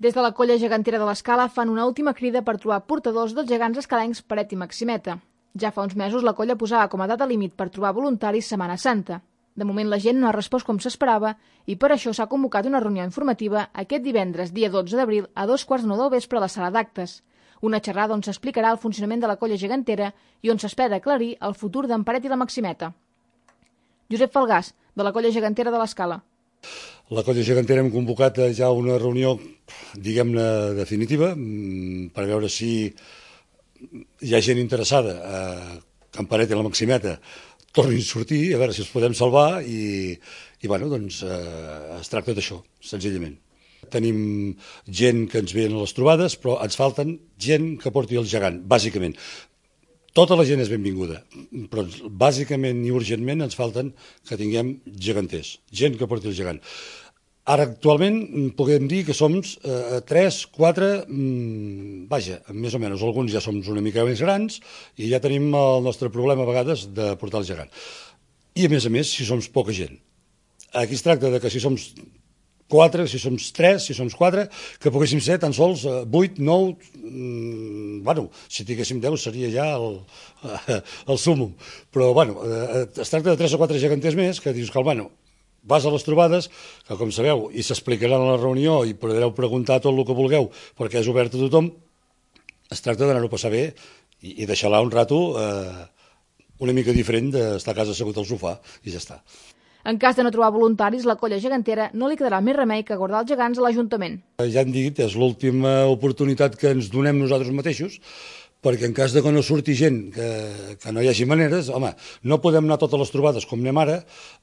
Des de la colla gegantera de l'Escala fan una última crida per trobar portadors dels gegants escalencs Paret i Maximeta. Ja fa uns mesos la colla posava com a data límit per trobar voluntaris Setmana Santa. De moment la gent no ha respost com s'esperava i per això s'ha convocat una reunió informativa aquest divendres, dia 12 d'abril, a 2:45 del vespre a la sala d'actes. Una xerrada on s'explicarà el funcionament de la colla gegantera i on s'espera aclarir el futur d'en Paret i la Maximeta. Josep Falgàs, de la colla gegantera de l'Escala. La colla gegantera hem convocat ja una reunió, diguem-ne, definitiva, per veure si hi ha gent interessada que en Paret i la Maximeta tornin a sortir, a veure si els podem salvar i bueno, doncs es tracta d'això, senzillament. Tenim gent que ens ve a les trobades, però ens falten gent que porti el gegant, bàsicament. Tota la gent és benvinguda, però bàsicament i urgentment ens falten que tinguem geganters, gent que porti el gegant. Ara, actualment, podem dir que som 3, 4, vaja, més o menys, alguns ja som una mica més grans i ja tenim el nostre problema a vegades de portar el gegant. I a més, si som poca gent. Aquí es tracta de que si som 4, si som 3, si som 4, que poguéssim ser tan sols 8, 9, bueno, si tinguéssim 10 seria ja el súmum. Però, bueno, es tracta de 3 o 4 geganters més que dius que, bueno, vas a les trobades, que com sabeu, i s'explicarà en la reunió i podreu preguntar tot el que vulgueu, perquè és obert a tothom, es tracta d'anar-ho a passar bé i deixar-la un rato una mica diferent d'estar a casa assegut al sofà i ja està. En cas de no trobar voluntaris, la colla gegantera no li quedarà més remei que guardar els gegants a l'Ajuntament. Ja hem dit, és l'última oportunitat que ens donem nosaltres mateixos, perquè en cas de que no surti gent, que no hi hagi maneres, home, no podem anar a totes les trobades com anem ara,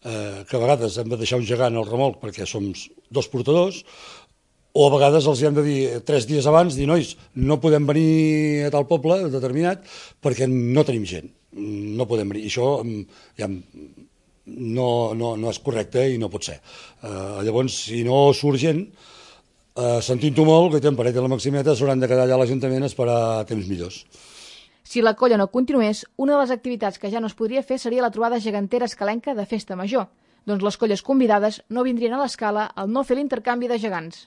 que a vegades hem de deixar un gegant al remolc perquè som 2 portadors, o a vegades els hem de dir 3 dies abans, dir, nois, no podem venir a tal poble determinat perquè no tenim gent, no podem venir. I això ja no és correcte i no pot ser. Llavors, si no surt gent, sentint-ho molt, que en Paret i la Maximeta s'hauran de quedar allà a l'Ajuntament a esperar temps millors. Si la colla no continués, una de les activitats que ja no es podria fer seria la trobada gegantera escalenca de Festa Major. Doncs les colles convidades no vindrien a l'Escala al no fer l'intercanvi de gegants.